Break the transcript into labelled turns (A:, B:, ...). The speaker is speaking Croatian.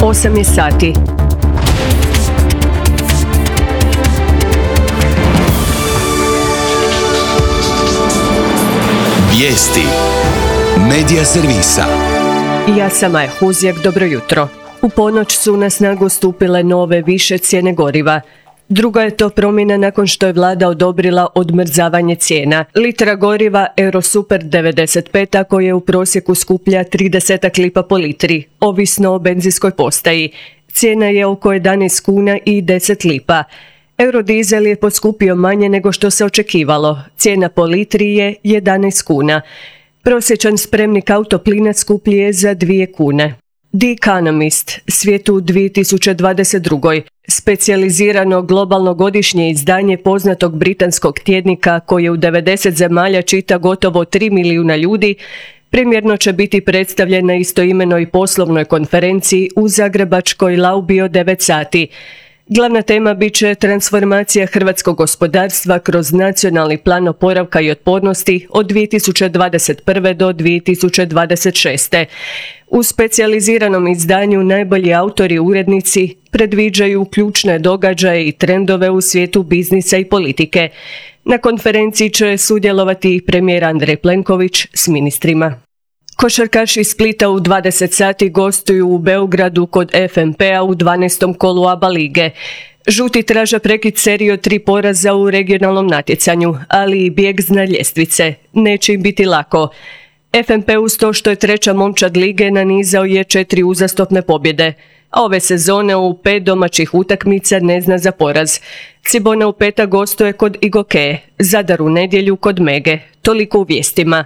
A: 8 je sati.
B: Vijesti Medija servisa.
A: Ja sam Maja Huzjak, dobro jutro. U ponoć su na snagu stupile nove više cijene goriva. Druga je to promjena nakon što je vlada odobrila odmrzavanje cijena. Litra goriva Eurosuper 95 koja je u prosjeku skuplja 30 lipa po litri, ovisno o benzinskoj postaji. Cijena je oko 11 kuna i 10 lipa. Eurodizel je poskupio manje nego što se očekivalo. Cijena po litri je 11 kuna. Prosječan spremnik autoplina skuplji je za 2 kune. The Economist, svijet u 2022. Specijalizirano globalno godišnje izdanje poznatog britanskog tjednika koje u 90 zemalja čita gotovo 3 milijuna ljudi, primjerno će biti predstavljen na istoimenoj poslovnoj konferenciji u zagrebačkoj Laubi od 9 sati. Glavna tema bit će transformacija hrvatskog gospodarstva kroz nacionalni plan oporavka i otpornosti od 2021. do 2026. U specijaliziranom izdanju najbolji autori i urednici predviđaju ključne događaje i trendove u svijetu biznisa i politike. Na konferenciji će sudjelovati i premijer Andrej Plenković s ministrima. Košarkaši iz Splita u 20 sati gostuju u Beogradu kod FNP-a u 12. kolu ABA lige. Žuti traže prekid serije od 3 poraza u regionalnom natjecanju, ali i bijeg s dna ljestvice. Neće im biti lako. FNP uz to što je treća momčad lige nanizao je 4 uzastopne pobjede. A ove sezone u 5 domaćih utakmica ne zna za poraz. Cibona u petak gostuje kod Igoke, Zadar u nedjelju kod Mege. Toliko u vijestima.